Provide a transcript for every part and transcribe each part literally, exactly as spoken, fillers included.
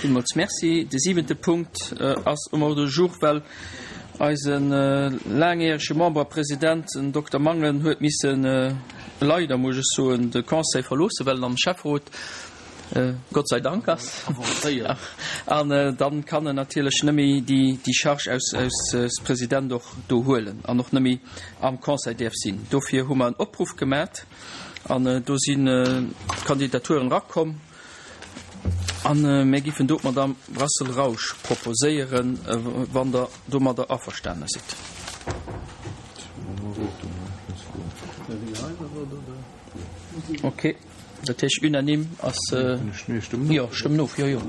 Villmools Merci. De siwente Punkt ass um Ordre du jour, well eise laangjärege Member a President, den Dokter Mangen, huet missen, leider muss ech soen, de Conseil verloossen, well en am Schäfferot, Gott sei Dank, ass. An dann kann en natierlech net méi déi Charge als President och do huelen an och net méi am Conseil däerf sinn. Dofir hu mer en Opruff gemat an do si Kandidaturen erakomm. A mir giffen do d'Madame Brassel-Rausch proposéieren, wann Der domadder averstane sidd. Okay, dat heescht unanime ass. Jo, stëmmen of, jo, jo.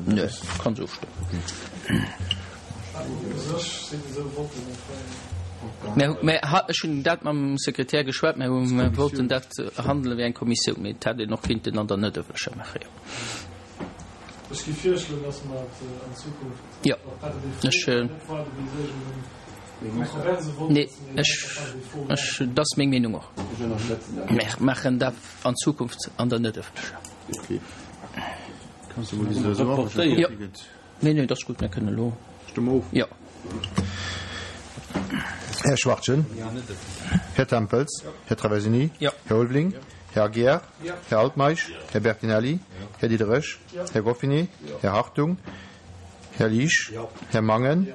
Nee, kann se ofstëmmen. Mä, mä ech hunn dat mam Sekretär geschwat, mä mir wollten dat handele wéi eng Kommissioun, mee et hätt een och kinnten an der net ëffentlecher maachen, jo. Ech géif virschloen, dass mer et an Zukunft Jo, par défaut ech, net waarde bis iergendeng kontroverse Vott nee, ass, mee ech, einfach par défaut ech, maachen. dat ass meng Meenung och. Mer maachen dat an Zukunft an der net ëffentlecher. Jo. Nee, nee, dat ass gutt, mir kënnen elo. Stëmme of. Jo. Här Schwachtgen. Här Tempels. Här Traversini. Här Ulveling. Här Aguiar. Här Altmeisch. Här Bertinelli. Här Diderich. Här Goffinet. Här Hartung. Här Liesch. Här Mangen.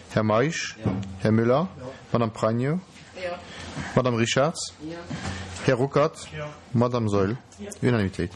Här Meisch. Här Müller. Madame Pregno. Madame Richarz. Här Ruckert. Madame Saeul. Unanimitéit.